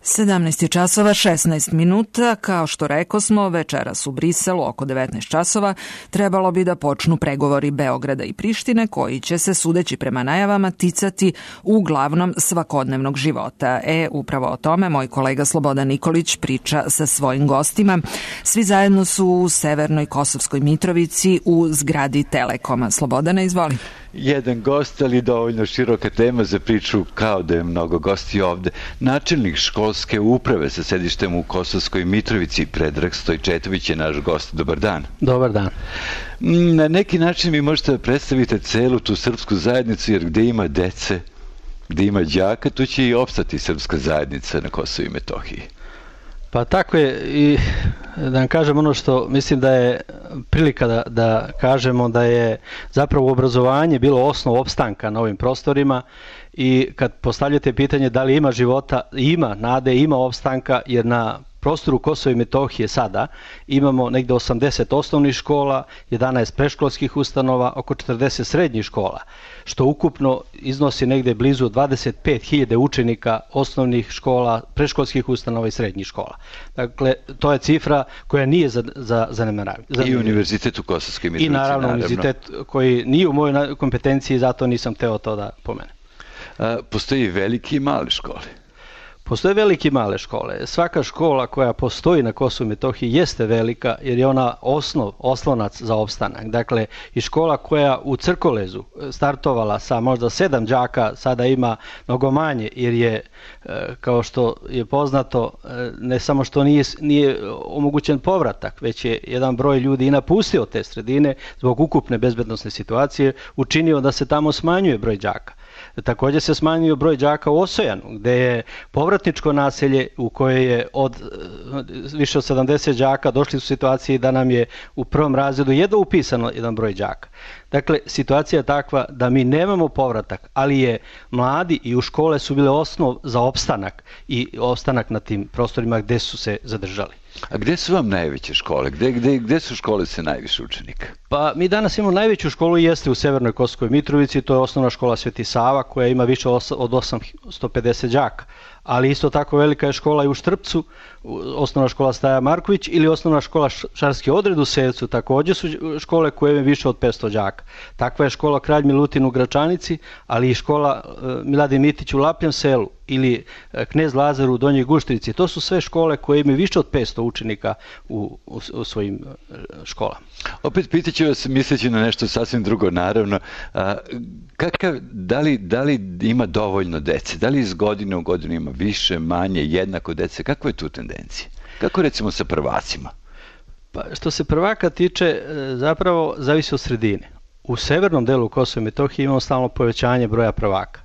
17 je časova 16 minuta, kao što rekosmo, večeras u Briselu oko 19 časova trebalo bi da počnu pregovori Beograda i Prištine koji će se, sudeći prema najavama, ticati uglavnom svakodnevnog života. Upravo o tome moj kolega Slobodan Nikolić priča sa svojim gostima. Svi zajedno su u severnoj Kosovskoj Mitrovici u zgradi Telekoma. Slobodana, izvoli. Jedan gost, ali dovoljno široka tema za priču, kao da je mnogo gosti ovde. Načelnik školske uprave sa sedištem u Kosovskoj Mitrovici, Predrag Stojčetović je naš gost. Dobar dan. Dobar dan. Na neki način vi možete da predstavite celu tu srpsku zajednicu, jer gde ima dece, gde ima đaka, tu će i opstati srpska zajednica na Kosovu i Metohiji. Pa tako je, i da vam kažem ono što mislim da je prilika da kažemo da je zapravo obrazovanje bilo osnov opstanka na ovim prostorima i kad postavljate pitanje da li ima života, ima nade, ima opstanka, jer na prostoru Kosova i Metohije sada imamo negde 80 osnovnih škola, 11 predškolskih ustanova, oko 40 srednjih škola, što ukupno iznosi negde blizu 25.000 učenika osnovnih škola, predškolskih ustanova i srednjih škola. Dakle, to je cifra koja nije za zanemaranje. I univerzitet u Kosovskoj Mitrovici, I naravno univerzitet koji nije u mojoj kompetenciji, zato nisam teo to da pomenem. Postoji velike i male škole. Postoje velike i male škole. Svaka škola koja postoji na Kosovu i Metohiji jeste velika jer je ona oslonac za opstanak. Dakle, i škola koja u Crkolezu startovala sa možda 7 đaka, sada ima mnogo manje jer je, kao što je poznato, ne samo što nije omogućen povratak, već je jedan broj ljudi i napustio te sredine zbog ukupne bezbednosne situacije, učinio da se tamo smanjuje broj đaka. Također se smanjio broj đaka u Osojanu, gde je povratničko naselje u koje je od više od 70 đaka došli u situaciji da nam je u prvom razredu jedno upisano jedan broj đaka. Dakle, situacija je takva da mi nemamo povratak, ali je mladi i u škole su bile osnov za opstanak i opstanak na tim prostorima gde su se zadržali. A gde su vam najveće škole? Gde su škole sa najviše učenika? Pa mi danas imamo najveću školu i jeste u severnoj Kosovskoj Mitrovici, to je osnovna škola Sveti Sava koja ima više od 850 đaka. Ali isto tako velika je škola i u Štrpcu, osnovna škola Staja Marković ili osnovna škola Šarski odred u Sevcu, također su škole koje imaju više od 500 đaka. Takva je škola Kralj Milutin u Gračanici, ali i škola Miladin Mitić u Lapljem selu ili Knez Lazar u Donjoj Guštrici. To su sve škole koje imaju više od 500 učenika u svojim školama. Opet pitaću vas, misleći na nešto sasvim drugo, naravno, da li ima dovoljno dece? Da li iz godine u godinu ima više, manje, jednako dece? Kakva je tu tendencija? Kako recimo sa prvacima? Pa što se prvaka tiče, zapravo zavisi od sredine. U severnom delu Kosova i Metohije imamo stalno povećanje broja prvaka.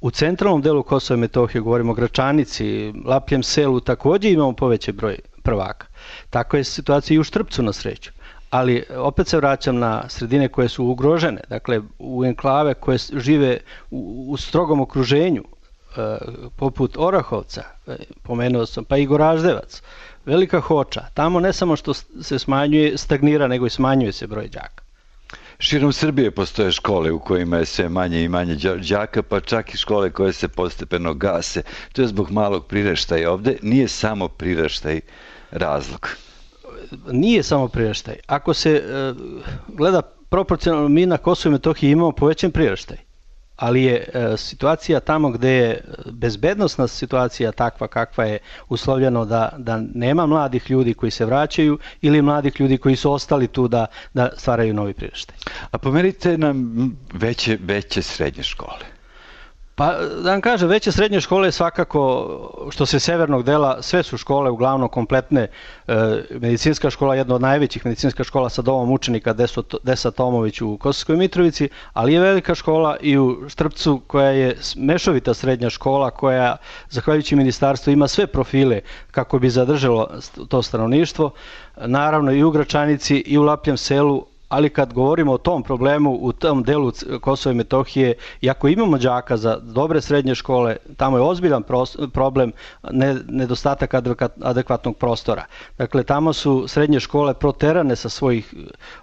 U centralnom delu Kosova i Metohije, govorimo o Gračanici, Lapljem selu, također imamo povećan broj prvaka. Tako je situacija i u Štrpcu na sreću. Ali opet se vraćam na sredine koje su ugrožene, dakle u enklave koje žive u strogom okruženju, poput Orahovca, pomenuo sam, pa i Goraždevac, Velika Hoča. Tamo ne samo što se stagnira, nego i smanjuje se broj đaka. Širom Srbije postoje škole u kojima je sve manje i manje đaka, pa čak i škole koje se postepeno gase. To je zbog malog priraštaja. Ovde nije samo priraštaj razlog. Nije samo priraštaj. Ako se gleda proporcionalno, mi na Kosovu i Metohiji imamo povećan priraštaj, ali je situacija tamo gde je bezbednosna situacija takva kakva je, uslovljeno da nema mladih ljudi koji se vraćaju ili mladih ljudi koji su ostali tu da stvaraju novi priraštaj. A pomerite nam veće srednje škole. Pa da vam kažem, veće srednje škole svakako, što se severnog dela, sve su škole uglavnom kompletne. Medicinska škola, jedna od najvećih medicinska škola sa domom učenika Desa Tomović u Kosovskoj Mitrovici, ali je velika škola i u Štrpcu koja je mešovita srednja škola koja, zahvaljujući ministarstvu, ima sve profile kako bi zadržalo to stanovništvo. Naravno i u Gračanici i u Lapljem selu, ali kad govorimo o tom problemu u tom delu Kosova i Metohije, i ako imamo đaka za dobre srednje škole, tamo je ozbiljan problem nedostatak adekvatnog prostora. Dakle, tamo su srednje škole proterane sa svojih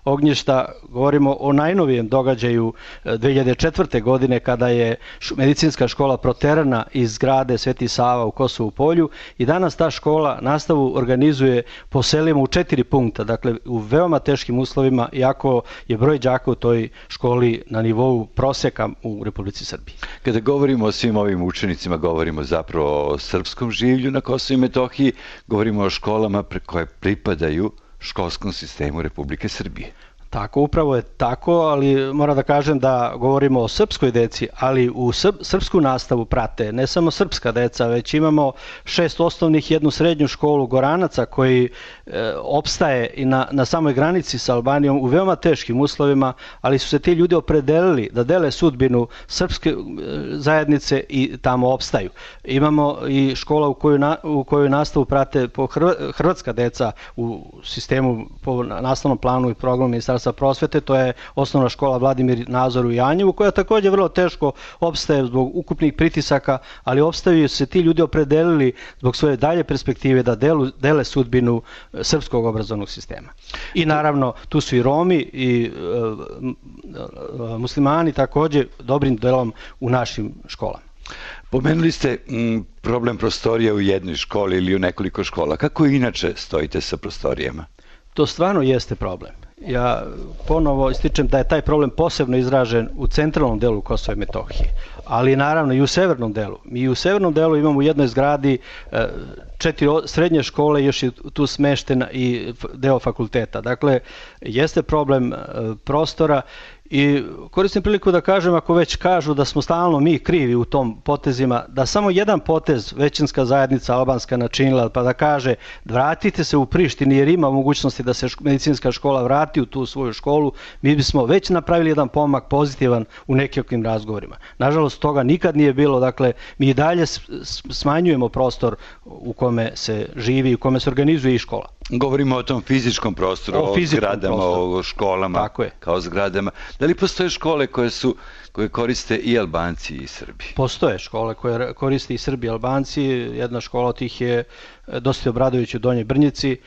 ognjišta. Govorimo o najnovijem događaju 2004. godine kada je medicinska škola proterana iz zgrade Sveti Sava u Kosovu Polju i danas ta škola nastavu organizuje po selima u 4 punkta, dakle u veoma teškim uslovima, iako je broj đaka u toj školi na nivou proseka u Republici Srbiji. Kada govorimo o svim ovim učenicima, govorimo zapravo o srpskom življu na Kosovu i Metohiji, govorimo o školama koje pripadaju školskom sistemu Republike Srbije. Tako, upravo je tako, ali moram da kažem da govorimo o srpskoj deci, ali u srpsku nastavu prate ne samo srpska deca, već imamo 6 osnovnih i 1 srednju školu Goranaca koji opstaje i na samoj granici sa Albanijom u veoma teškim uslovima, ali su se ti ljudi opredelili da dele sudbinu srpske zajednice i tamo opstaju. Imamo i škola u kojoj nastavu prate hrvatska deca u sistemu po nastavnom planu i programu Ministarstva prosvete, to je osnovna škola Vladimir Nazor u Janjevu, koja također vrlo teško opstaje zbog ukupnih pritisaka, ali opstaju se ti ljudi opredelili zbog svoje dalje perspektive da dele sudbinu srpskog obrazovnog sistema. I naravno, tu su i Romi i muslimani također dobrim delom u našim školama. Pomenuli ste problem prostorija u jednoj školi ili u nekoliko škola. Kako inače stojite sa prostorijama? To stvarno jeste problem. Ja ponovo ističem da je taj problem posebno izražen u centralnom delu Kosova i Metohije, ali naravno i u severnom delu. Mi u severnom delu imamo u jednoj zgradi 4 srednje škole, još je tu smeštena i deo fakulteta. Dakle, jeste problem prostora i koristim priliku da kažem, ako već kažu da smo stalno mi krivi u tom potezima, da samo jedan potez većinska zajednica albanska načinila, pa da kaže vratite se u Prištini jer ima mogućnosti da se medicinska škola vrati u tu svoju školu, mi bismo već napravili jedan pomak pozitivan u nekim razgovorima. Nažalost, toga nikad nije bilo, dakle, mi i dalje smanjujemo prostor u kome se živi, u kome se organizuje i škola. Govorimo o tom fizičkom prostoru, o zgradama, o školama kao zgradama. Da li postoje škole koje koriste i Albanci i Srbi? Postoje škole koje koriste i Srbi i Albanci. Jedna škola od tih je Dositej Obradović u Donjoj Brnjici,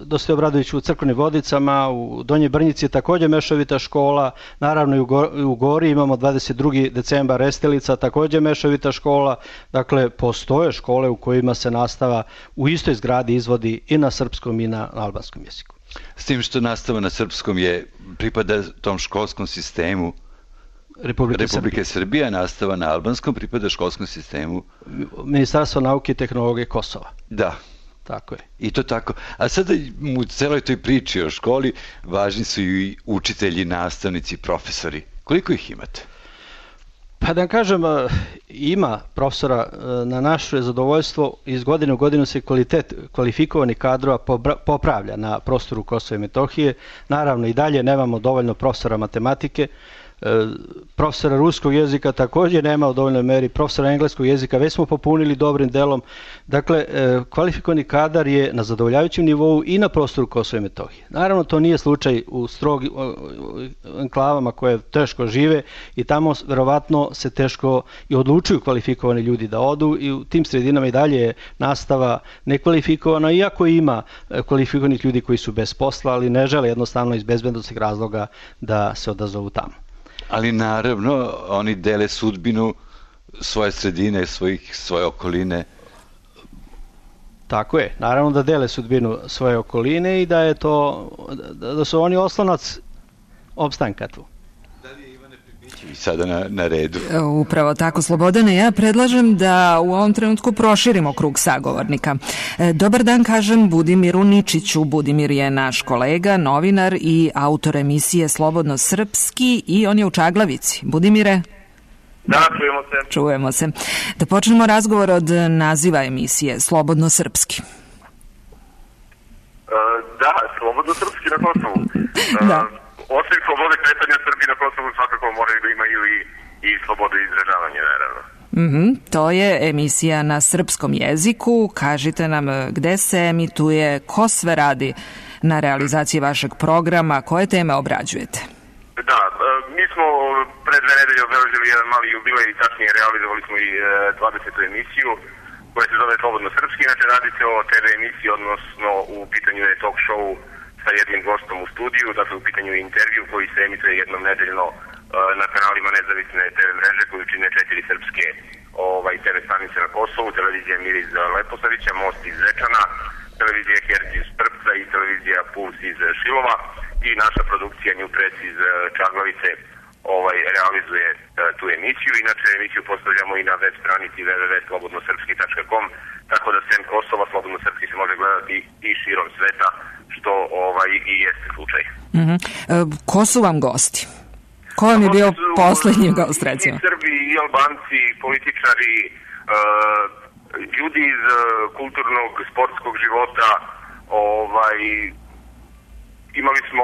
Dositej Obradović u Crkvenim Vodicama, u Donjoj Brnjici je također mešovita škola, naravno i u Gori imamo 22. decembar Restelica, također mešovita škola. Dakle, postoje škole u kojima se nastava u istoj zgradi izvodi i na srpskom i na albanskom jeziku. S tim što nastava na srpskom pripada tom školskom sistemu Republike Srbije, a nastava na albanskom pripada školskom sistemu Ministarstva nauke i tehnologije Kosova. Da. Tako je. I to tako. A sada u celoj toj priči o školi važni su i učitelji, nastavnici, profesori. Koliko ih imate? Pa da vam kažem, ima profesora. Na naše zadovoljstvo iz godine u godinu se kvalitet kvalifikovanih kadrova popravlja na prostoru Kosova i Metohije. Naravno i dalje nemamo dovoljno profesora matematike, profesora ruskog jezika također nema u dovoljnoj meri, profesora engleskog jezika već smo popunili dobrim delom. Dakle, kvalifikovani kadar je na zadovoljavajućem nivou i na prostoru Kosova i Metohije. Naravno, to nije slučaj u strogim enklavama koje teško žive i tamo verovatno se teško i odlučuju kvalifikovani ljudi da odu i u tim sredinama i dalje je nastava nekvalifikovana, iako ima kvalifikovanih ljudi koji su bez posla, ali ne žele jednostavno iz bezbednosnih razloga da se odazovu tamo. Ali naravno, oni dele sudbinu svoje sredine, svoje okoline. Tako je, naravno da dele sudbinu svoje okoline i da su oni oslonac opstanka tu. Da li je Ivane Pribićević sada na redu? Upravo tako, Slobodane, ja predlažem da u ovom trenutku proširimo krug sagovornika. Dobar dan, kažem Budimiru Ničiću. Budimir je naš kolega, novinar i autor emisije Slobodno srpski i on je u Čaglavici. Budimire? Da, čujemo se. Čujemo se. Da počnemo razgovor od naziva emisije Slobodno srpski. Da, Slobodno srpski na Kosovu. Da. Osim slobode kretanja Srbi na Kosovu svakako moraju da imaju i slobode izražavanja, naravno. To je emisija na srpskom jeziku. Kažite nam gde se emituje, ko sve radi na realizaciji vašeg programa, koje teme obrađujete? Da, mi smo pre 2 nedelje obeležili jedan mali jubilej i tačnije realizovali smo i 20. emisiju koja se zove Slobodno srpski. Inače radi se o TV emisiji, odnosno u pitanju je talk show sa jednim gostom u studiju, dakle u pitanju je intervju koji se emituje jednom nedeljno na kanalima nezavisne TV mreže koju čine 4 srpske TV stanice na Kosovu, televizija Mir iz Leposavića, Most iz Zečana, televizija Herc iz Trpca i televizija Puls iz Šilova i naša produkcija New Press iz Čaglavice realizuje tu emisiju. Inače emisiju postavljamo i na web stranici www.slobodnosrpski.com, tako da sem Kosova Slobodno srpski se može gledati i širom sveta, što i jeste slučaj. Ko su vam gosti? Ko vam je bio poslednji gost, recimo? I Srbi, i Albanci, političari, ljudi iz kulturnog, sportskog života. Imali smo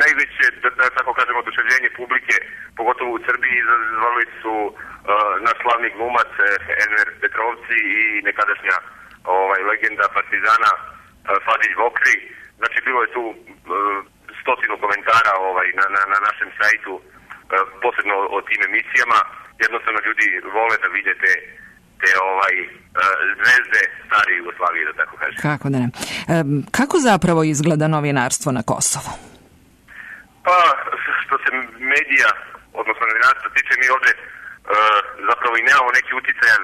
najveće, da tako kažemo, oduševljenje publike, pogotovo u Srbiji, izazvali su naš slavni glumac Enver Petrovci i nekadašnja legenda Partizana Fadilj Vokri. Znači, bilo je tu 100 komentara na našem sajtu, posebno o tim emisijama. Jednostavno ljudi vole da vide te zvezde stare Jugoslavije, da tako kažem. Kako da ne. Kako zapravo izgleda novinarstvo na Kosovu? Pa, što se medija, odnosno novinarstva tiče, mi ovde zapravo i nemamo neki uticajan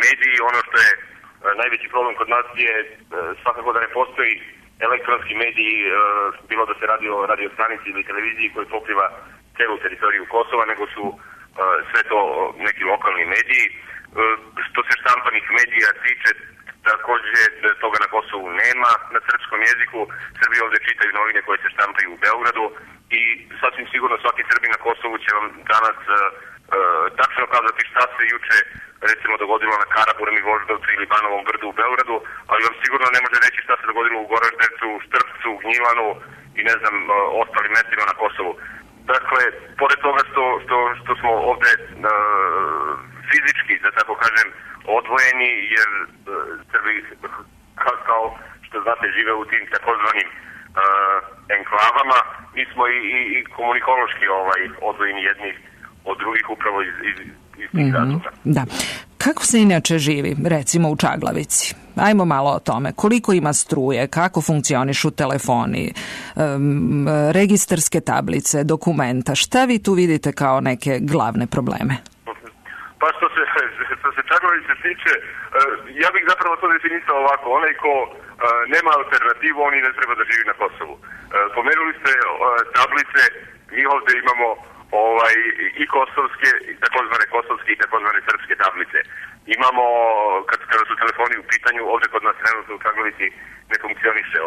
mediji. Ono što je najveći problem kod nas je svakako da ne postoji elektronski mediji, bilo da se radi o radiostanici ili televiziji koji pokriva celu teritoriju Kosova, nego su sve to neki lokalni mediji. Što se štampanih medija tiče, takođe toga na Kosovu nema na srpskom jeziku. Srbi ovde čitaju novine koje se štampaju u Beogradu i sasvim sigurno svaki Srbi na Kosovu će vam danas tačno kazati šta se juče recimo dogodilo na Karaburmi, Voždovcu ili Banovom Brdu u Beogradu, ali vam sigurno ne može reći šta se dogodilo u Goraždevcu, Štrpcu, Gnjilanu i ne znam ostalim mestima na Kosovu. Dakle, pored toga što smo ovde fizički, da tako kažem, odvojeni, jer Srbi, kao što znate, žive u tim takozvanim enklavama, mi smo i komunikološki odvojeni jedni od drugih upravo iz tih razloga. Da. Kako se inače živi, recimo u Čaglavici? Ajmo malo o tome. Koliko ima struje, kako funkcionišu telefoni, registarske tablice, dokumenta? Šta vi tu vidite kao neke glavne probleme? Pa što se Čaglavice tiče, ja bih zapravo to definisao ovako. Onaj ko nema alternativu, on i ne treba da živi na Kosovu. Pomenuli ste tablice, mi ovde imamo i kosovske, i takozvane kosovske i takozvane srpske tablice. Imamo, kada su telefoni u pitanju, ovde kod nas trenutno u Čaglavici ne funkcioniše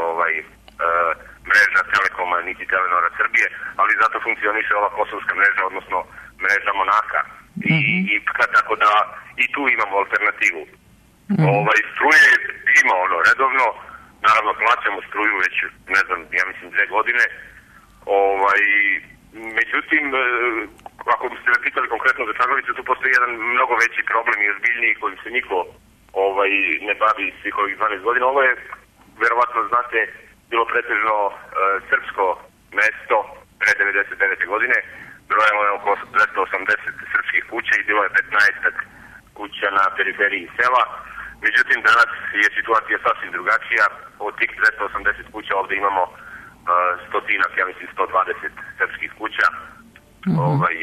mreža Telekoma niti Telenora Srbije, ali zato funkcioniše ova kosovska mreža, odnosno mreža Monaka. I tako da i tu imamo alternativu. Struje ima redovno, naravno plaćamo struju već, ne znam, ja mislim 2 godine. Međutim, ako biste me pitali konkretno za Čaglavicu, tu postoji jedan mnogo veći problem i ozbiljniji kojim se niko ne bavi svih ovih 12 godina. Ovo je, verovatno znate, bilo pretežno srpsko mesto pre 99. godine. Brojalo je oko 280 srpskih kuća i bilo je 15 kuća na periferiji sela. Međutim, danas je situacija sasvim drugačija. Od tih 280 kuća ovde imamo stotinak, ja mislim 120 srpskih kuća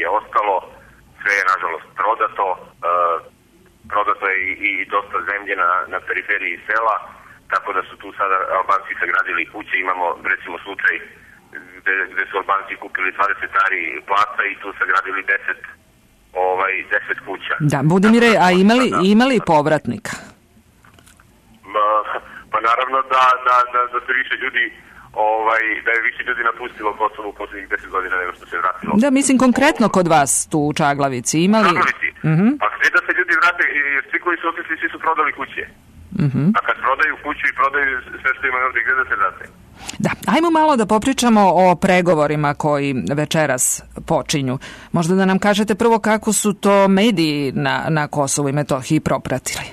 je ostalo. Sve je nažalost prodato. Prodato je i dosta zemlje na periferiji sela, tako da su tu sada Albanci sagradili kuće. Imamo recimo slučaj gde su Albanci kupili 20 ari placa i tu sagradili 10 kuća. Da, Budimire, a imali povratnika? Pa naravno da se više ljudi da je više ljudi napustilo Kosovo u poslednjih 10 godina nego što se vratilo. Da, mislim konkretno kod vas tu u Čaglavici imali... Čaglavici? Pa sve da se ljudi vrate, svi koji su otišli, svi su prodali kuće. A kad prodaju kuću i prodaju sve što imaju ovdje, gdje da se vrate? Da, ajmo malo da popričamo o pregovorima koji večeras počinju. Možda da nam kažete prvo kako su to mediji na Kosovu i Metohiji propratili.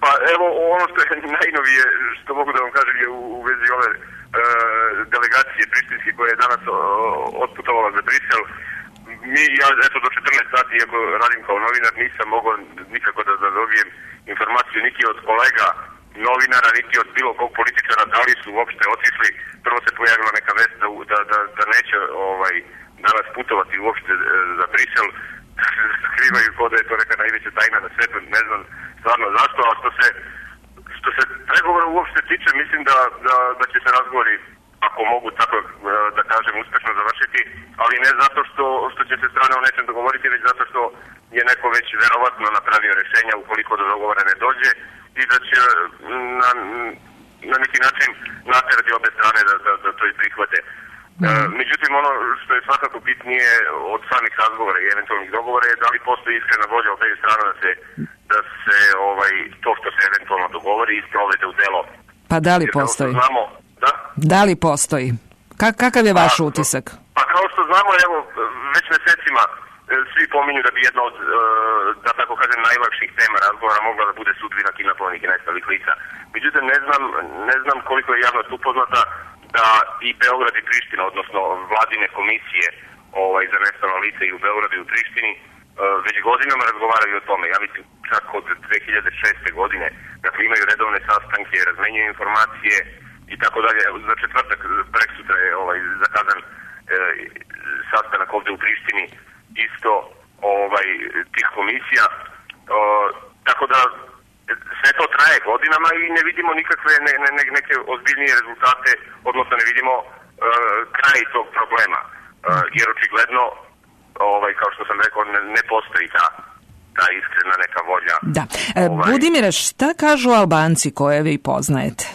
Pa evo, ono što je najnovije, što mogu da vam kažem, je u vezi ove delegacije prištinske koja je danas otputovala za Brisel. Ja eto do 14 sati, iako radim kao novinar, nisam mogao nikako da dobijem informaciju niti od kolega novinara, niti od bilo kog političara, da li su uopšte otišli. Prvo se pojavila neka vest da neće danas putovati uopšte za Brisel. Skrivaju ko da je to neka najveća tajna na svetu, ne znam stvarno zašto, a što se pregovora uopšte tiče, mislim da će se razgovori, ako mogu tako da kažem, uspešno završiti, ali ne zato što će se strane o nečem dogovoriti, već zato što je neko već verovatno napravio rešenja ukoliko do dogovora ne dođe i da će na neki način naterati obe strane da to i prihvate. Međutim, ono što je svakako bitnije od samih razgovora i eventualnih dogovora je da li postoji iskrena volja od te strane da se to što se eventualno dogovori isprovede u delo. Pa da li postoji? Da li postoji? Kakav je vaš utisak? Pa kao što znamo, evo, već mesecima svi pominju da bi jedna od, da tako kažem, najlakših tema razgovora mogla da bude sudbina kidnapovanih i nestalih lica. Međutim, ne znam koliko je javnost upoznata da i Beograd i Priština, odnosno vladine komisije za nestala lica i u Beogradu i u Prištini, već godinama razgovaraju o tome. Ja mislim čak od 2006. godine, dakle imaju redovne sastanke, razmenjuju informacije i tako dalje. Za četvrtak preksutra je zakazan sastanak ovde u Prištini isto tih komisija. Tako da sve to traje godinama i ne vidimo nikakve neke ozbiljnije rezultate, odnosno ne vidimo kraj tog problema. Jer očigledno, kao što sam rekao, ne postoji ta iskrena neka volja. Da. Budimire, šta kažu Albanci koje vi poznajete?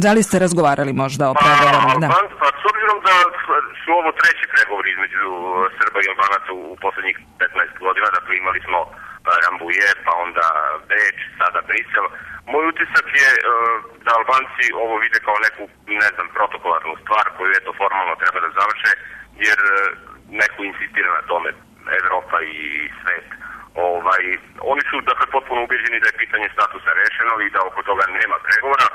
Da li ste razgovarali možda o pregovorima? Pa s obzirom da su ovo treći pregovori između Srba i Albanaca u poslednjih 15 godina, dakle imali smo Rambuje, pa onda Beč, sada Brisel. Moj utisak je da Albanci ovo vide kao neku, ne znam, protokolarnu stvar koju eto formalno treba da završe, jer neko insistira na tome, Evropa i svet. Oni su dakle potpuno ubeđeni da je pitanje statusa rešeno i da oko toga nema pregovora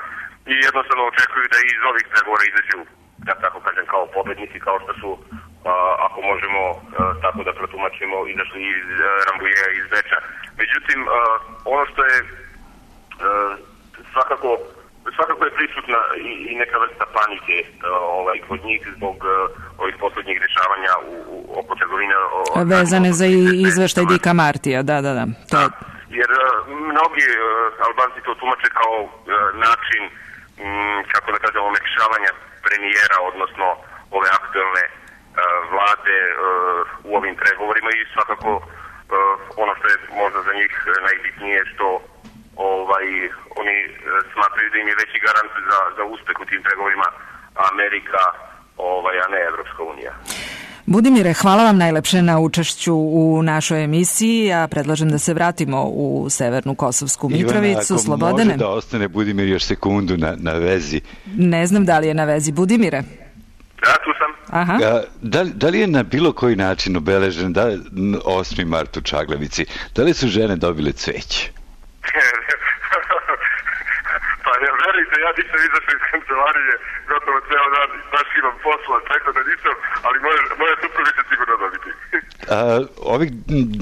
i jednostavno očekuju da iz ovih pregovora izađu, da tako kažem, kao pobednici, kao što su, ako možemo tako da protumačimo, izašli iz Rambujeja i iz Beča. Međutim, ono što je svakako je prisutna i neka vrsta panike kod njih zbog ovih poslednjih dešavanja oko trgovine. Vezane za izveštaj Dika Martija, da. Jer mnogi Albanci to tumače kao način, kako da kažem, omekšavanja premijera, odnosno ove aktuelne vlade u ovim pregovorima i svakako ono što je možda za njih najbitnije što oni smatraju da im je veći garant za uspeh u tim pregovorima Amerika, a ne Evropska unija. Budimire, hvala vam najlepše na učešću u našoj emisiji. Ja predlažem da se vratimo u Severnu Kosovsku Mitrovicu. Ivana, ako Slobodane. može da ostane Budimir još sekundu na vezi. Ne znam da li je na vezi. Budimire? Da, tu sam. Aha. Da li je na bilo koji način obeležen 8. mart u Čaglavici? Da li su žene dobile cveće? Pa ne verite, ja nisam izašao iz kancelarije gotovo ceo dan, baš imam posla, tako da nisam, ali moja supruga će sigurno dobiti. Ovih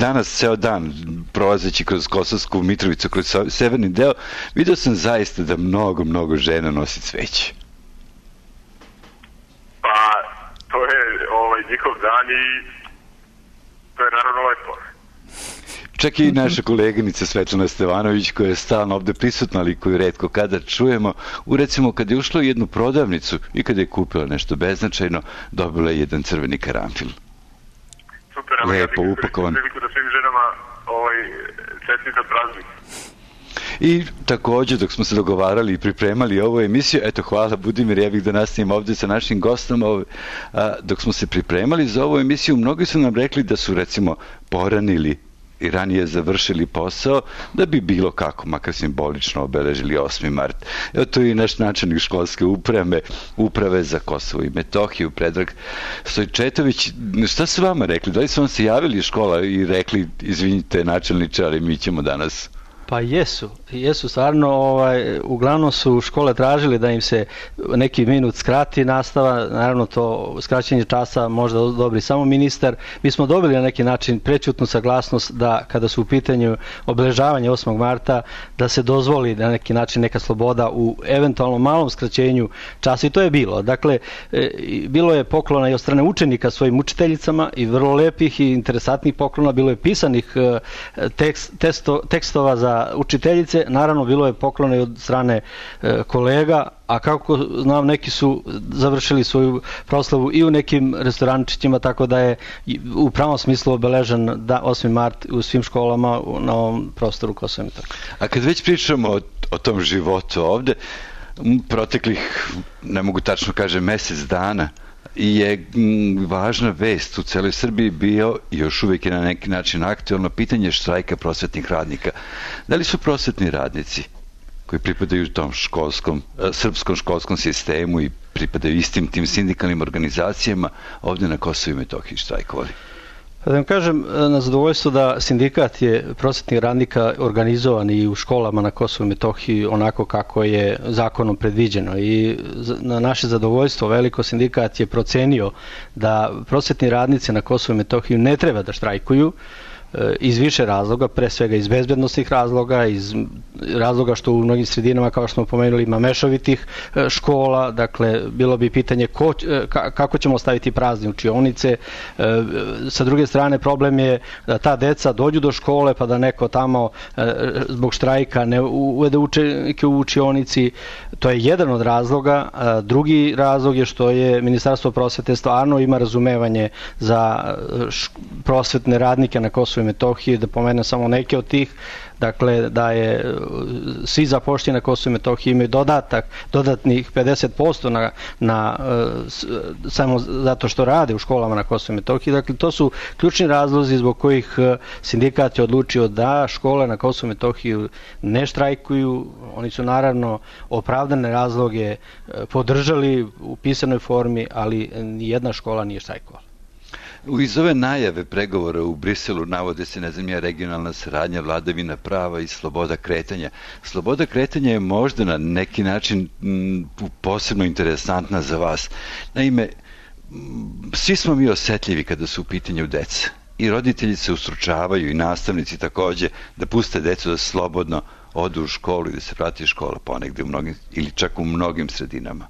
danas ceo dan prolazeći kroz Kosovsku Mitrovicu, kroz severni deo, vidio sam zaista da mnogo žena nosi cveće. Pa to je njihov dan i to je naravno lepo. Čak i naša koleginica Svetlana Stevanović, koja je stalno ovde prisutna, ali koju retko kada čujemo, recimo kad je ušla u jednu prodavnicu i kada je kupila nešto beznačajno, dobila je jedan crveni karanfil. Super, lepo upakovan. Priliku da svim ženama čestitam praznik. I takođe, dok smo se dogovarali i pripremali ovu emisiju, eto, hvala Budimir, ja bih da nastavim ovde sa našim gostom, dok smo se pripremali za ovu emisiju, mnogi su nam rekli da su, recimo, poranili i ranije završili posao da bi bilo kako, makar simbolično obeležili 8. mart. Evo to je i naš načelnik školske uprave za Kosovo i Metohiju, Predrag Stojčetović. Šta su vama rekli? Da li su vam se javili iz škola i rekli, izvinite načelniče, ali mi ćemo danas? Pa jesu stvarno, uglavnom su škole tražili da im se neki minut skrati nastava, naravno to skraćenje časa možda odobri samo ministar. Mi smo dobili na neki način prećutnu saglasnost da kada su u pitanju obeležavanje 8. marta da se dozvoli na neki način neka sloboda u eventualno malom skraćenju časa i to je bilo. Dakle, bilo je poklona i od strane učenika svojim učiteljicama i vrlo lepih i interesantnih poklona, bilo je pisanih tekstova za učiteljice, naravno bilo je poklona i od strane kolega, a kako znam neki su završili svoju proslavu i u nekim restorančićima, tako da je u pravom smislu obeležen 8. mart u svim školama na ovom prostoru Kosova i Metohije. A kad već pričamo o tom životu ovde, proteklih, ne mogu tačno kažem, mesec dana, je važna vest u celoj Srbiji bio i još uvijek je na neki način aktuelno pitanje štrajka prosvetnih radnika. Da li su prosvetni radnici koji pripadaju tom srpskom školskom sistemu i pripadaju istim tim sindikalnim organizacijama ovdje na Kosovu i Metohiji štrajkovali? Da vam kažem, na zadovoljstvo da sindikat je prosvetnih radnika organizovan i u školama na Kosovu i Metohiji onako kako je zakonom predviđeno i na naše zadovoljstvo veliko sindikat je procenio da prosvetni radnici na Kosovu i Metohiji ne treba da štrajkuju iz više razloga, pre svega iz bezbednosnih razloga, iz razloga što u mnogim sredinama, kao što smo pomenuli, ima mešovitih škola, dakle, bilo bi pitanje kako ćemo ostaviti prazne učionice. Sa druge strane, problem je da ta deca dođu do škole, pa da neko tamo zbog štrajka ne uvede učenike u učionici. To je jedan od razloga. Drugi razlog je što je Ministarstvo prosvete stvarno ima razumevanje za prosvetne radnike na Kosovu i Metohiji, da pomenem samo neke od tih, dakle da je svi zapošljeni na Kosovu i Metohiji imaju dodatnih 50% samo zato što rade u školama na Kosovu i Metohiji. Dakle, to su ključni razlozi zbog kojih sindikat je odlučio da škole na Kosovu i Metohiji ne štrajkuju. Oni su naravno opravdane razloge podržali u pisanoj formi, ali nijedna škola nije štrajkovala. Iz ove najave pregovora u Briselu navode se, regionalna saradnja, vladavina prava i sloboda kretanja. Sloboda kretanja je možda na neki način posebno interesantna za vas. Naime, svi smo mi osetljivi kada su u pitanju deca. I roditelji se ustručavaju i nastavnici takođe da puste decu da slobodno odu u školu i da se vrati škola ponegde ili čak u mnogim sredinama.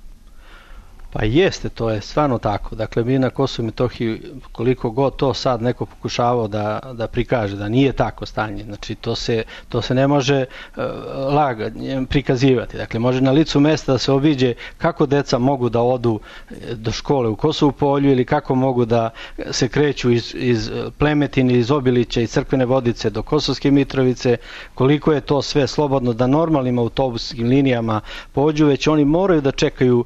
Pa jeste, to je stvarno tako. Dakle, mi na Kosovu i Metohiji, koliko god to sad neko pokušavao da prikaže, da nije tako stanje, znači to se ne može prikazivati. Dakle, može na licu mesta da se obiđe kako deca mogu da odu do škole u Kosovu Polju ili kako mogu da se kreću iz Plemetine, iz Obilića, iz Crkvene Vodice do Kosovske Mitrovice, koliko je to sve slobodno da normalnim autobuskim linijama pođu, već oni moraju da čekaju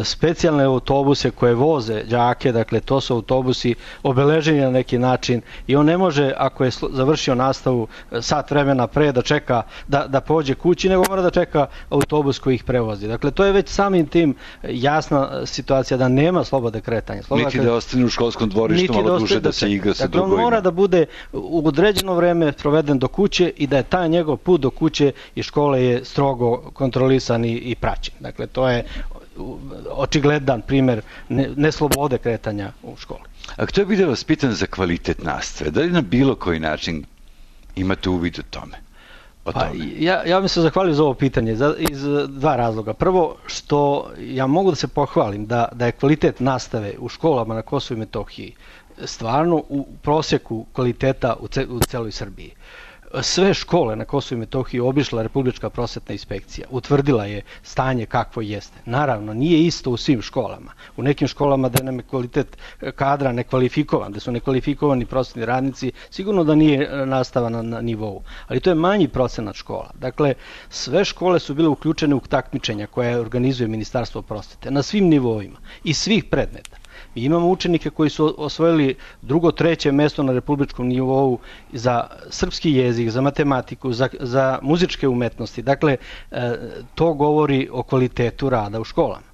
specijalne autobuse koje voze đake, dakle to su autobusi obeleženi na neki način i on ne može, ako je završio nastavu sat vremena pre, da čeka da pođe kući, nego mora da čeka autobus koji ih prevozi. Dakle, to je već samim tim jasna situacija da nema slobode kretanja. Niti da ostane u školskom dvorištu malo duže da se igra sa drugovima. Dakle, on mora da bude u određeno vreme proveden do kuće i da je taj njegov put do kuće i škole je strogo kontrolisan i praćen. Dakle, to je očigledan primer neslobode kretanja u školi. A htio bih da vas pitam za kvalitet nastave. Da li na bilo koji način imate uvid o tome? Ja bih se zahvalio za ovo pitanje iz dva razloga. Prvo, što ja mogu da se pohvalim da je kvalitet nastave u školama na Kosovu i Metohiji stvarno u prosjeku kvaliteta u celoj Srbiji. Sve škole na Kosovu i Metohiji obišla Republička prosvetna inspekcija, utvrdila je stanje kakvo jeste. Naravno, nije isto u svim školama. U nekim školama da nam je kvalitet kadra nekvalifikovan, da su nekvalifikovani prosvetni radnici, sigurno da nije nastava na nivou. Ali to je manji procenat škola. Dakle, sve škole su bile uključene u takmičenja koje organizuje Ministarstvo prosvete na svim nivoima i svih predmeta. Mi imamo učenike koji su osvojili drugo, treće mesto na republičkom nivou za srpski jezik, za matematiku, za muzičke umetnosti. Dakle, to govori o kvalitetu rada u školama.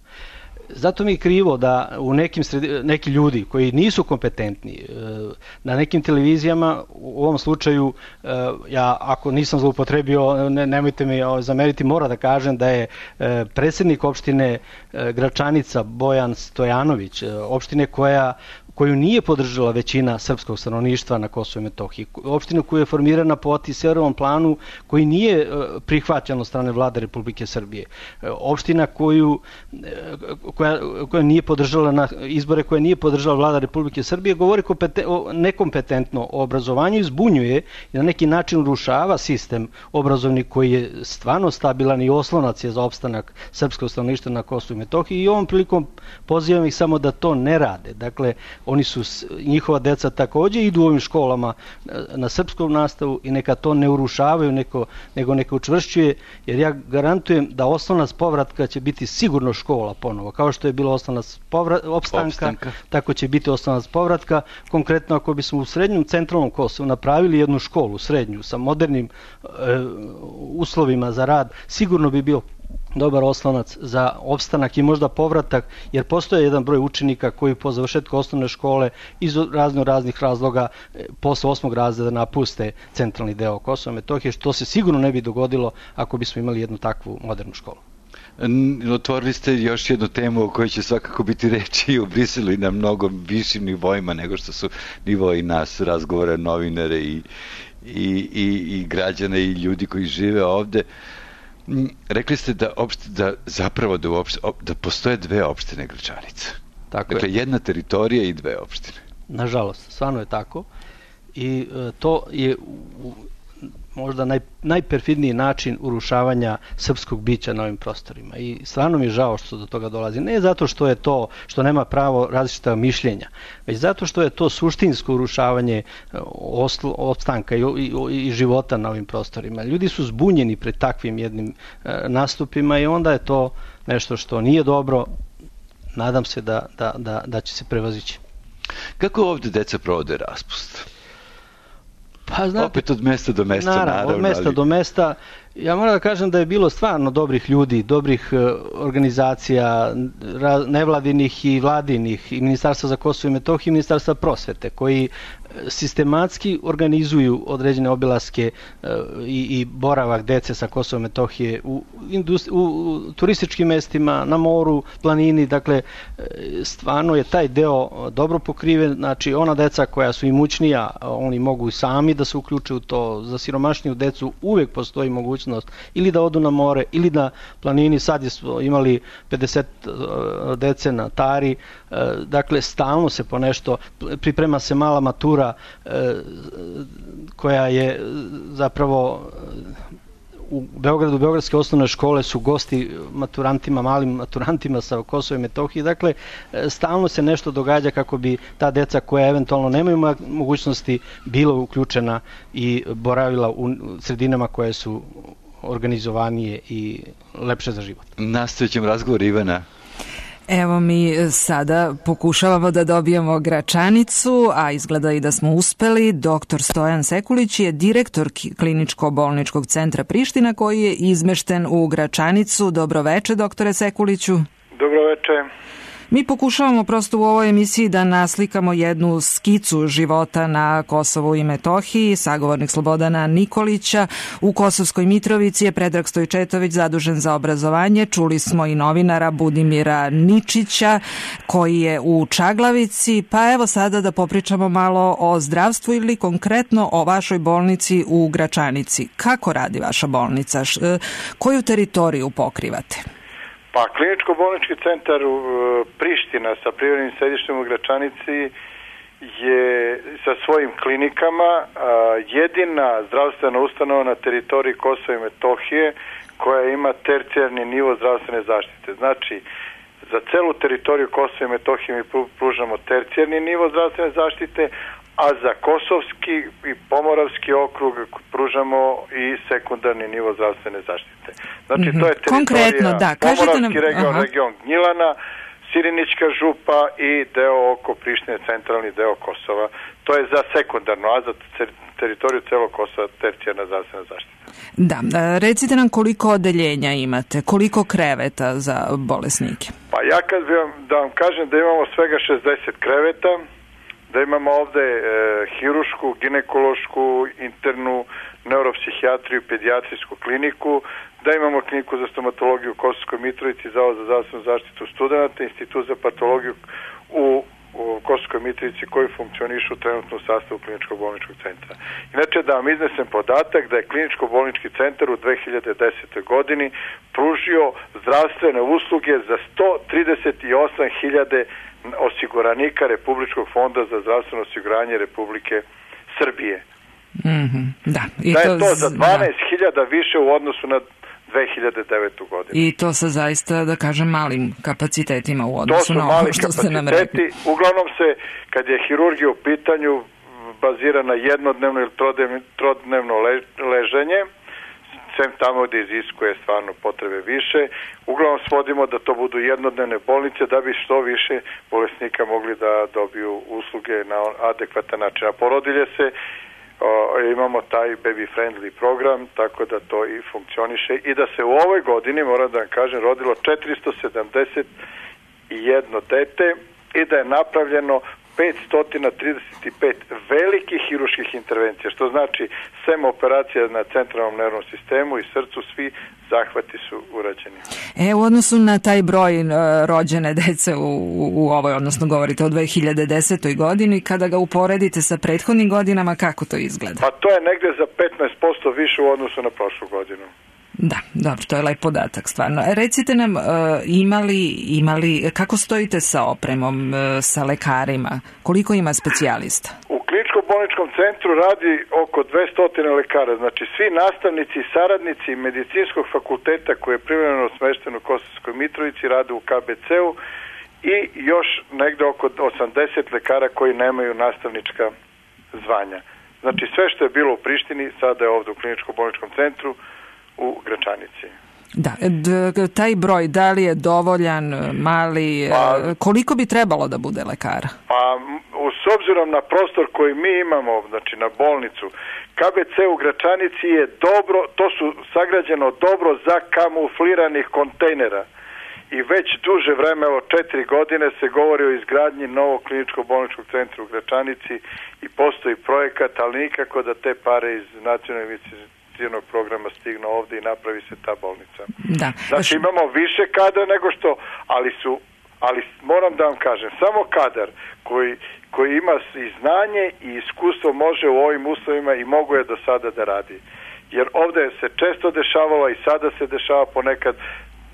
Zato mi je krivo da u neki ljudi koji nisu kompetentni na nekim televizijama, u ovom slučaju ja ako nisam zloupotrebio, nemojte mi zameriti, mora da kažem da je predsjednik opštine Gračanica Bojan Stojanović, opštine koju nije podržala većina srpskog stanovništva na Kosovu i Metohiji. Opština koja je formirana po Atiserovom planu koji nije prihvaćen od strane vlade Republike Srbije. Opština koja nije podržala na izbore, koja nije podržala vlada Republike Srbije, govori nekompetentno o obrazovanju i zbunjuje i na neki način urušava sistem obrazovni koji je stvarno stabilan i oslonac je za opstanak srpskog stanovništva na Kosovu i Metohiji i ovom prilikom pozivam ih samo da to ne rade. Dakle, njihova deca takođe idu u ovim školama na srpskom nastavu i neka to ne urušavaju, nego neka učvršćuje, jer ja garantujem da osnovna povratka će biti sigurno škola ponovo. Kao što je bilo osnovnac opstanka, tako će biti osnovnac povratka. Konkretno, ako bismo u srednjem centralnom Kosovu napravili jednu školu srednju sa modernim uslovima za rad, sigurno bi bio dobar oslonac za opstanak i možda povratak, jer postoje jedan broj učenika koji po završetku osnovne škole iz raznih razloga posle 8. razreda napuste centralni deo Kosova i Metohije, što se sigurno ne bi dogodilo ako bismo imali jednu takvu modernu školu. Otvorili ste još jednu temu o kojoj će svakako biti reči u Briselu i na mnogo višim nivoima nego što su nivoi nas, razgovora novinare i građana i ljudi koji žive ovde. Rekli ste da postoje dve opštine Gračanica. Dakle, jedna teritorija i dve opštine. Nažalost, stvarno je tako. I to je možda najperfidniji način urušavanja srpskog bića na ovim prostorima. I stvarno mi je žao što do toga dolazi. Ne zato što je to, što nema pravo različita mišljenja, već zato što je to suštinsko urušavanje opstanka i života na ovim prostorima. Ljudi su zbunjeni pred takvim jednim nastupima i onda je to nešto što nije dobro. Nadam se da će se prevazići. Kako ovde deca provode raspust? Pa, znate, opet od mesta do mesta, naravno. Od mesta do mesta. Ja moram da kažem da je bilo stvarno dobrih ljudi, dobrih organizacija, nevladinih i vladinih, i Ministarstva za Kosovo i Metohiju i Ministarstva prosvete, koji sistematski organizuju određene obilaske i boravak dece sa Kosova i Metohije u turističkim mestima, na moru, planini. Dakle, stvarno je taj deo dobro pokriven. Znači, ona deca koja su imućnija, oni mogu sami da se uključe u to. Za siromašniju decu uvek postoji mogućnost ili da odu na more ili na planini. Sad smo imali 50 dece na Tari. Dakle, stalno se po nešto, priprema se mala matura koja je zapravo u Beogradu, beogradske osnovne škole su gosti maturantima, malim maturantima sa Kosova i Metohije. Dakle, stalno se nešto događa kako bi ta deca koja eventualno nemaju mogućnosti bila uključena i boravila u sredinama koje su organizovanije i lepše za život. Nastavit ćemo razgovor, Ivana. Evo mi sada pokušavamo da dobijemo Gračanicu, a izgleda i da smo uspeli. Doktor Stojan Sekulić je direktor Kliničko-bolničkog centra Priština koji je izmešten u Gračanicu. Dobroveče, doktore Sekuliću. Dobroveče. Mi pokušavamo prosto u ovoj emisiji da naslikamo jednu skicu života na Kosovu i Metohiji. Sagovornik Slobodana Nikolića u Kosovskoj Mitrovici je Predrag Stojčetović zadužen za obrazovanje. Čuli smo i novinara Budimira Ničića koji je u Čaglavici. Pa evo sada da popričamo malo o zdravstvu ili konkretno o vašoj bolnici u Gračanici. Kako radi vaša bolnica? Koju teritoriju pokrivate? Pa, Kliničko-bolnički centar Priština sa privremenim sedištem u Gračanici je sa svojim klinikama jedina zdravstvena ustanova na teritoriji Kosova i Metohije koja ima tercijarni nivo zdravstvene zaštite. Znači, za celu teritoriju Kosova i Metohije mi pružamo tercijarni nivo zdravstvene zaštite, a za Kosovski i Pomoravski okrug pružamo i sekundarni nivo zdravstvene zaštite. Znači, to je teritorija Pomoravski region Gnjilana, Sirinićka župa i deo oko Prištine, centralni deo Kosova. To je za sekundarno, a za teritoriju celog Kosova tercijarna zdravstvena zaštita. Da, recite nam koliko odeljenja imate, koliko kreveta za bolesnike? Pa ja kad da vam kažem da imamo svega 60 kreveta, da imamo ovde hirušku, ginekološku, internu, neuropsihijatriju, pedijatrijsku kliniku, da imamo kliniku za stomatologiju u Kosovskoj Mitrovici, Zavod za zdravstvenu zaštitu studenata, institut za patologiju u Kosovskoj Mitrovici koji funkcionišu trenutno u sastavu kliničkog bolničkog centra. Inače, da vam iznesem podatak da je kliničko bolnički centar u 2010. godini pružio zdravstvene usluge za 138.000 osiguranika Republičkog fonda za zdravstveno osiguranje Republike Srbije. Da je to za 12.000 više u odnosu na 2009. godinu. I to sa zaista, da kažem, malim kapacitetima u odnosu na ovo što ste nam rekli. Uglavnom se, kad je hirurgija u pitanju, bazira na jednodnevno ili trodnevno leženje, sem tamo gde iziskuje stvarno potrebe više. Uglavnom svodimo da to budu jednodnevne bolnice da bi što više bolesnika mogli da dobiju usluge na adekvatan način. A porodilje se imamo taj baby friendly program, tako da to i funkcioniše i da se u ovoj godini, moram da vam kažem, rodilo 471 dete i da je napravljeno 535 velikih hiruških intervencija, što znači sem operacija na centralnom nervnom sistemu i srcu, svi zahvati su urađeni. U odnosu na taj broj rođene dece u ovoj, odnosno govorite o 2010. godini, kada ga uporedite sa prethodnim godinama, kako to izgleda? Pa to je negde za 15% više u odnosu na prošlu godinu. Da, dobro, to je lep podatak, stvarno. Recite nam, imali, kako stojite sa opremom, sa lekarima? Koliko ima specijalista? U kliničko-bolničkom centru radi oko 200 lekara, znači svi nastavnici i saradnici medicinskog fakulteta koji je privremeno smešten u Kosovskoj Mitrovici rade u KBC-u i još negde oko 80 lekara koji nemaju nastavnička zvanja. Znači sve što je bilo u Prištini sada je ovde u kliničko-bolničkom centru u Gračanici. Da, taj broj, da li je dovoljan, mali, koliko bi trebalo da bude lekara? Pa, s obzirom na prostor koji mi imamo, znači na bolnicu, KBC u Gračanici je dobro, to su sagrađeno dobro za kamufliranih kontejnera. I već duže vreme, 4 godine, se govori o izgradnji novog kliničko-bolničkog centra u Gračanici i postoji projekat, ali nikako da te pare iz nacionalne cijenog programa stignu ovde i napravi se ta bolnica. Da. Znači imamo više kadra nego što, ali moram da vam kažem, samo kadar koji ima i znanje i iskustvo može u ovim uslovima i mogu je do sada da radi. Jer ovde se često dešavalo i sada se dešava ponekad,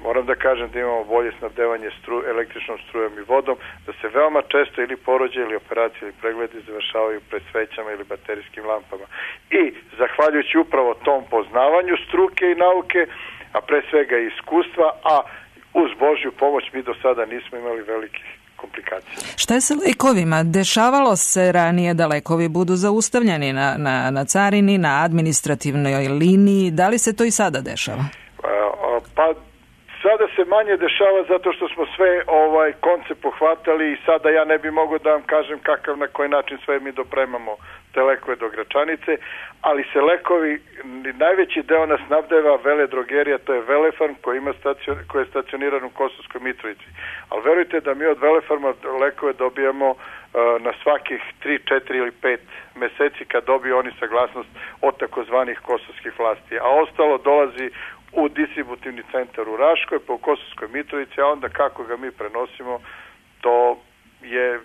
moram da kažem da imamo bolje snabdevanje električnom strujom i vodom, da se veoma često ili porođaje ili operacije ili pregledi završavaju pred svećama ili baterijskim lampama. I zahvaljujući upravo tom poznavanju struke i nauke, a pre svega i iskustva, a uz Božju pomoć mi do sada nismo imali velikih komplikacija. Šta je sa lekovima? Dešavalo se ranije da lekovi budu zaustavljeni na carini, na administrativnoj liniji. Da li se to i sada dešava? Pa sada se manje dešava zato što smo sve koncept pohvatali i sada ja ne bi mogao da vam kažem kakav, na koji način sve mi dopremamo te lekove do Gračanice, ali se lekovi, najveći deo nas snabdeva Veledrogerija, to je Velefarm koji je stacioniran u Kosovskoj Mitrovici. Ali verujte da mi od Velefarma lekove dobijamo na svakih 3, 4 ili 5 meseci kad dobiju oni saglasnost od takozvanih kosovskih vlasti, a ostalo dolazi u distributivni centar u Raškoj, pa u Kosovskoj Mitrovici, a onda kako ga mi prenosimo, to je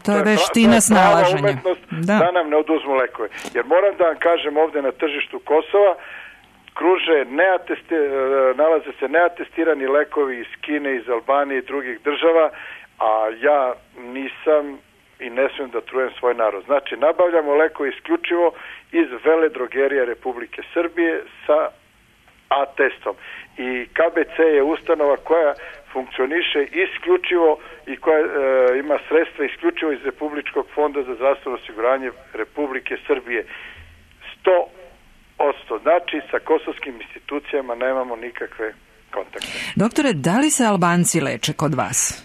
to je veština snalaženja. Da nam ne oduzmu lekove. Jer moram da vam kažem, ovde na tržištu Kosova kruže nalaze se neatestirani lekovi iz Kine, iz Albanije i drugih država, a ja nisam i ne smijem da trujem svoj narod. Znači, nabavljamo lekove isključivo iz Veledrogerija Republike Srbije sa atestom. I KBC je ustanova koja funkcioniše isključivo i koja ima sredstva isključivo iz Republičkog fonda za zdravstveno osiguranje Republike Srbije. 100%. Znači, sa kosovskim institucijama nemamo nikakve kontakte. Doktore, da li se Albanci leče kod vas?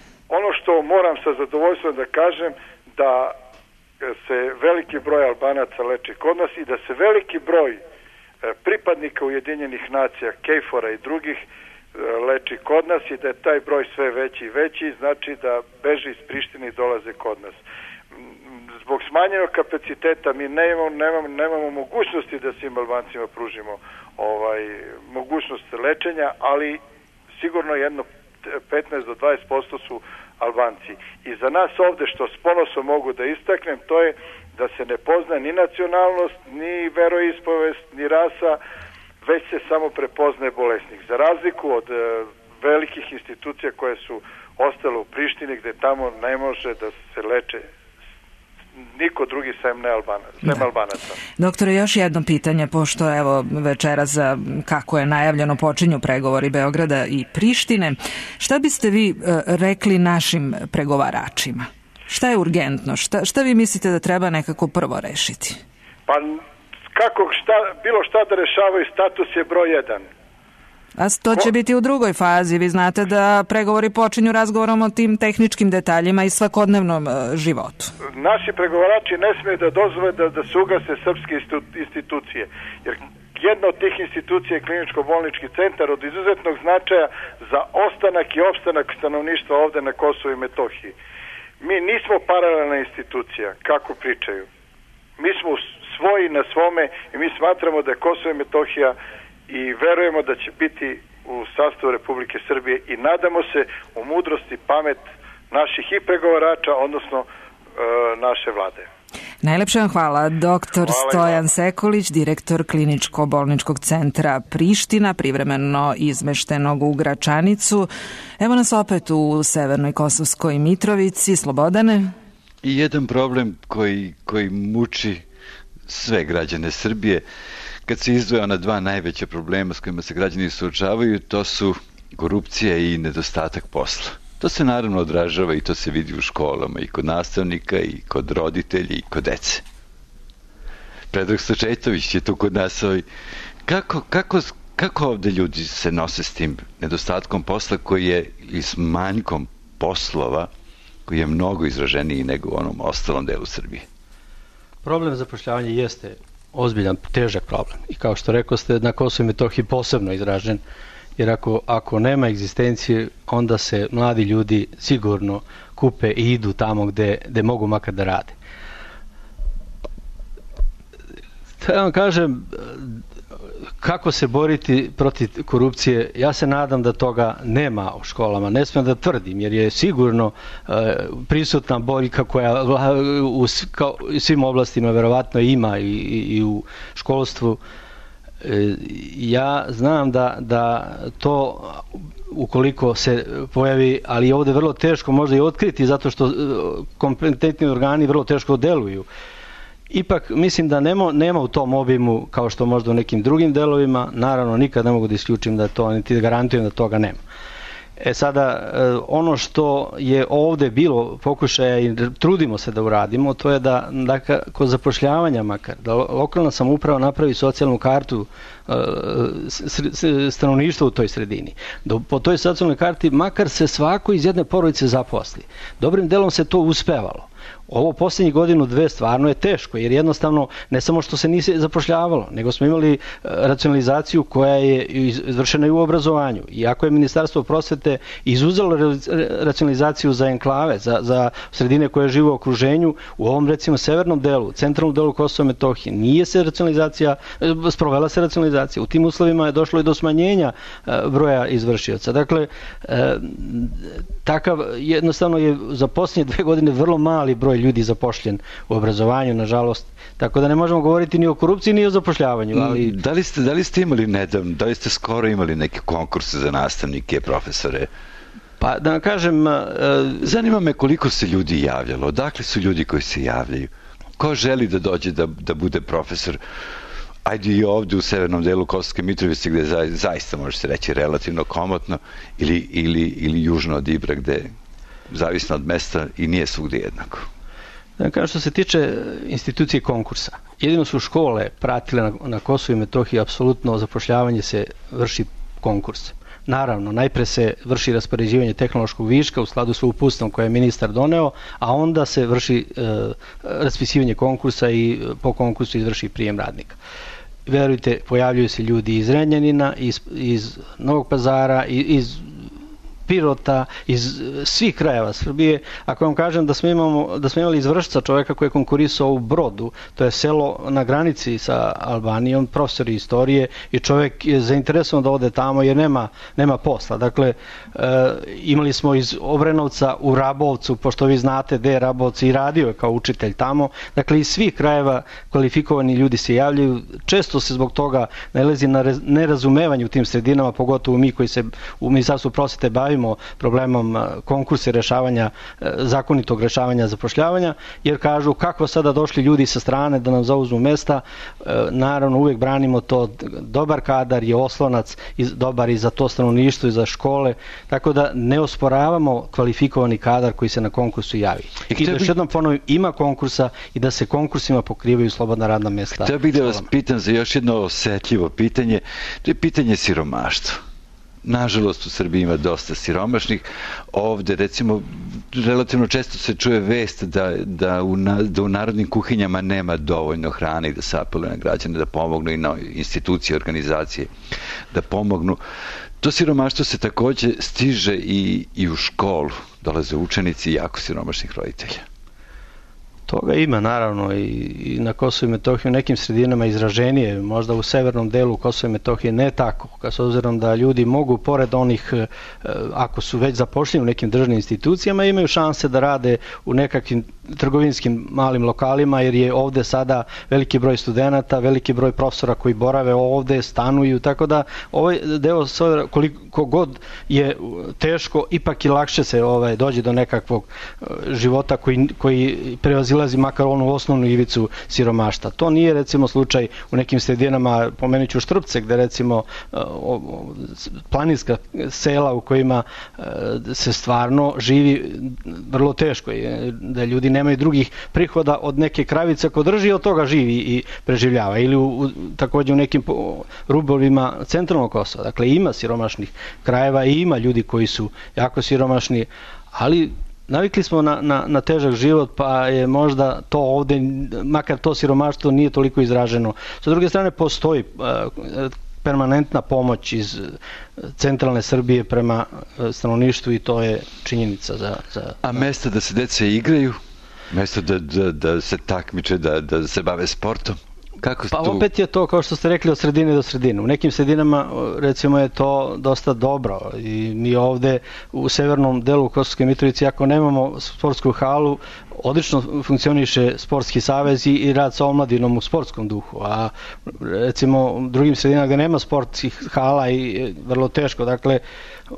što moram sa zadovoljstvom da kažem da se veliki broj Albanaca leči kod nas i da se veliki broj pripadnika Ujedinjenih nacija, KFOR-a i drugih leči kod nas i da je taj broj sve veći i veći, znači da beže iz Prištine i dolaze kod nas. Zbog smanjenog kapaciteta mi nemamo mogućnosti da svim Albancima pružimo mogućnost lečenja, ali sigurno jedno 15 do 20% su Albanci. I za nas ovde, što s ponosom mogu da istaknem, to je da se ne pozna ni nacionalnost, ni veroispovest, ni rasa, već se samo prepoznaje bolesnik. Za razliku od velikih institucija koje su ostale u Prištini, gde tamo ne može da se leče niko drugi sem Albanaca. Doktore, još jedno pitanje, pošto evo večeras, kako je najavljeno, počinju pregovori Beograda i Prištine. Šta biste vi rekli našim pregovaračima? Šta je urgentno? Šta vi mislite da treba nekako prvo rešiti? Pa bilo šta da rešavaju, status je broj 1. A to će biti u drugoj fazi. Vi znate da pregovori počinju razgovorom o tim tehničkim detaljima i svakodnevnom životu. Naši pregovarači ne smiju da dozvole da se ugase srpske institucije. Jer jedna od tih institucija je kliničko-bolnički centar od izuzetnog značaja za ostanak i opstanak stanovništva ovde na Kosovu i Metohiji. Mi nismo paralelna institucija, kako pričaju. Mi smo svoji na svome i mi smatramo da je Kosovo i Metohija i verujemo da će biti u sastavu Republike Srbije i nadamo se u mudrosti, pamet naših i pregovarača, odnosno naše vlade. Najlepše vam hvala. Doktor Stojan Sekulić, direktor Kliničko-bolničkog centra Priština, privremeno izmeštenog u Gračanicu. Evo nas opet u Severnoj Kosovskoj Mitrovici. Slobodane? I jedan problem koji muči sve građane Srbije, kad se izdvoja ona dva najveća problema s kojima se građani suočavaju, to su korupcija i nedostatak posla. To se naravno odražava i to se vidi u školama i kod nastavnika i kod roditelja i kod dece. Predrag Stočetović je tu kod nas. Kako ovde ljudi se nose s tim nedostatkom posla koji je i s manjkom poslova koji je mnogo izraženiji nego u onom ostalom delu Srbije? Problem zapošljavanja jeste ozbiljan, težak problem. I kao što rekao ste, na Kosovu i Metohiji posebno izražen, jer ako nema egzistencije, onda se mladi ljudi sigurno kupe i idu tamo gde mogu makar da rade. Da vam kažem, kako se boriti protiv korupcije, ja se nadam da toga nema u školama. Ne smijem da tvrdim, jer je sigurno prisutna boljka koja u svim oblastima verovatno ima i u školstvu. Ja znam da to ukoliko se pojavi, ali je ovde vrlo teško možda i otkriti zato što kompetentni organi vrlo teško deluju. Ipak mislim da nema u tom obimu kao što možda u nekim drugim delovima, naravno nikad ne mogu da isključim da to, niti da garantujem da toga nema. Sada, ono što je ovde bilo pokušaja i trudimo se da uradimo, to je da kod zapošljavanja makar, da lokalna samouprava napravi socijalnu kartu stanovništva u toj sredini. Da po toj socijalnoj karti makar se svako iz jedne porodice zaposli. Dobrim delom se to uspevalo. Ovo poslednjih godinu, dve stvarno je teško, jer jednostavno ne samo što se nisi zapošljavalo, nego smo imali racionalizaciju koja je izvršena i u obrazovanju. Iako je Ministarstvo prosvete izuzelo racionalizaciju za enklave, za sredine koje žive u okruženju, u ovom recimo severnom delu, centralnom delu Kosova i Metohije, nije se sprovela se racionalizacija. U tim uslovima je došlo i do smanjenja broja izvršioca. Dakle, takav jednostavno je za posljednje 2 godine vrlo mali broj ljudi zapošljen u obrazovanju, nažalost. Tako da ne možemo govoriti ni o korupciji, ni o zapošljavanju. Ali... Da li ste imali nedavno, da li ste skoro imali neke konkurse za nastavnike, profesore? Pa da vam kažem... Zanima me koliko se ljudi javljalo, odakle su ljudi koji se javljaju? Ko želi da dođe da bude profesor? Ajde i ovde u severnom delu Kosovske Mitrovice gde zaista može se reći relativno komotno ili južno od Ibra gde zavisno od mesta i nije svugde jednako. Kao što se tiče institucije konkursa, jedino su škole pratile na Kosovu i Metohiji, apsolutno zapošljavanje se vrši konkurs. naravno, najpre se vrši raspoređivanje tehnološkog viška u skladu s uputstvom koje je ministar doneo, a onda se vrši raspisivanje konkursa i po konkursu izvrši prijem radnika. Verujte, pojavljuju se ljudi iz Renjanina, iz Novog Pazara, iz Pirota, iz svih krajeva Srbije. Ako vam kažem da smo imali iz Vršca čoveka koji je konkurisao u Brodu, to je selo na granici sa Albanijom, profesor istorije, i čovek je zainteresovan da ode tamo jer nema posla. Dakle, imali smo iz Obrenovca u Rabovcu, pošto vi znate gde je Rabovac, i radio je kao učitelj tamo. Dakle, iz svih krajeva kvalifikovani ljudi se javljaju. Često se zbog toga nalazi na nerazumevanje u tim sredinama, pogotovo mi koji se u Ministarstvu prosvete bavimo problemom konkursa rešavanja, zakonitog rešavanja zapošljavanja, jer kažu kako sada došli ljudi sa strane da nam zauzmu mesta. Naravno, uvek branimo to, dobar kadar je oslonac dobar i za to stanovništvo i za škole, tako da ne osporavamo kvalifikovani kadar koji se na konkursu javi. I da još jednom ponovim, ima konkursa i da se konkursima pokrivaju slobodna radna mesta. Htio bih da vas pitam za još jedno osetljivo pitanje, to je pitanje siromaštva. Nažalost, u Srbiji ima dosta siromašnih. Ovde, recimo, relativno često se čuje vest da u narodnim kuhinjama nema dovoljno hrane i da se apeluje na građane da pomognu i na institucije, organizacije da pomognu. To siromaštvo se takođe stiže i u školu. Dolaze učenici jako siromašnih roditelja. Toga ima, naravno, i na Kosovu i Metohiji u nekim sredinama izraženije, možda u severnom delu Kosova i Metohije ne tako, s obzirom da ljudi mogu, pored onih, ako su već zapošljeni u nekim državnim institucijama, imaju šanse da rade u nekakvim trgovinskim malim lokalima, jer je ovde sada veliki broj studenata, veliki broj profesora koji borave ovde, stanuju, tako da ovaj deo, koliko god je teško, ipak i lakše se dođe do nekakvog života koji prevazilazi makar onu osnovnu ivicu siromaštva. To nije, recimo, slučaj u nekim sredinama, pomenut ću Štrpce, gde, recimo, planinska sela u kojima se stvarno živi vrlo teško, da ljudi nemaju drugih prihoda od neke kravice ko drži i od toga živi i preživljava. Ili takođe u nekim rubovima centralnog Kosova. Dakle, ima siromašnih krajeva i ima ljudi koji su jako siromašni, ali navikli smo na težak život, pa je možda to ovde, makar to siromaštvo nije toliko izraženo. Sa druge strane, postoji permanentna pomoć iz centralne Srbije prema stanovništvu i to je činjenica za... A mesta da se deca igraju? Mesto da se takmiče, da se bave sportom? Pa opet je to, kao što ste rekli, od sredine do sredine. U nekim sredinama, recimo, je to dosta dobro i mi ovde u severnom delu Kosovske Mitrovice, ako nemamo sportsku halu, odlično funkcioniše sportski savez i rad sa omladinom u sportskom duhu, a recimo u drugim sredinama gde nema sportskih hala i vrlo teško, dakle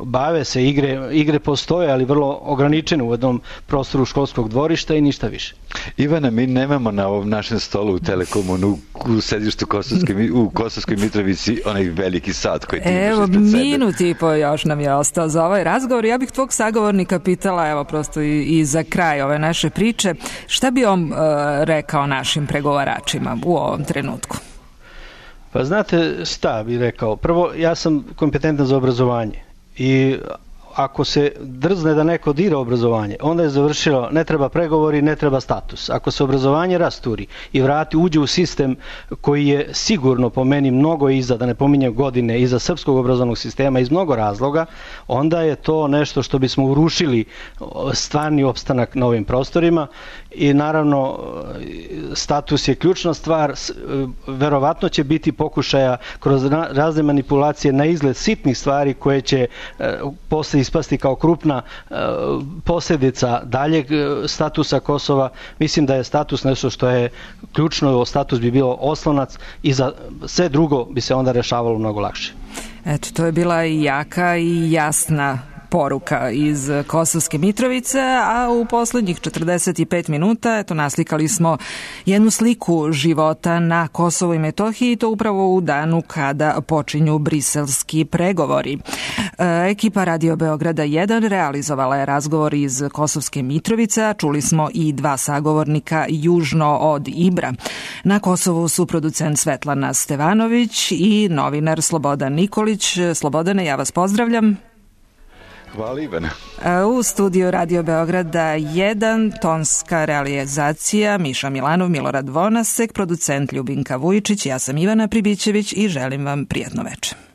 bave se igre postoje, ali vrlo ograničene u jednom prostoru školskog dvorišta i ništa više. Ivana, mi nemamo na ovom našem stolu u Telekomu u sedištu u Kosovskoj Mitrovici onaj veliki sat koji ti imaš ispred sebe. Evo, minut i po još nam je ostao za ovaj razgovor. Ja bih tvog sagovornika pitala, evo prosto i za kraj ove naše priče, šta bi on rekao našim pregovaračima u ovom trenutku? Pa znate šta bi rekao? Prvo, ja sam kompetentan za obrazovanje i ako se drzne da neko dira obrazovanje, onda je završilo, ne treba pregovori, ne treba status. Ako se obrazovanje rasturi i uđe u sistem koji je sigurno po meni mnogo iza, da ne pominjem godine, iza srpskog obrazovnog sistema iz mnogo razloga, onda je to nešto što bismo urušili stvarni opstanak na ovim prostorima i naravno status je ključna stvar, verovatno će biti pokušaja kroz razne manipulacije na izgled sitnih stvari koje će posle ispasti kao krupna posljedica daljeg statusa Kosova. Mislim da je status nešto što je ključno, status bi bilo oslonac i za sve drugo bi se onda rešavalo mnogo lakše. Eto, to je bila i jaka i jasna poruka iz Kosovske Mitrovice, a u poslednjih 45 minuta naslikali smo jednu sliku života na Kosovu i Metohiji, to upravo u danu kada počinju briselski pregovori. Ekipa Radio Beograda 1 realizovala je razgovor iz Kosovske Mitrovice, čuli smo i 2 sagovornika južno od Ibra. Na Kosovu su producent Svetlana Stevanović i novinar Slobodan Nikolić. Slobodane, ja vas pozdravljam. Hvala, Ivana. U studiju Radio Beograda 1, tonska realizacija Miša Milanov, Milorad Vonasek, producent Ljubinka Vujičić, ja sam Ivana Pribićević i želim vam prijatno večer.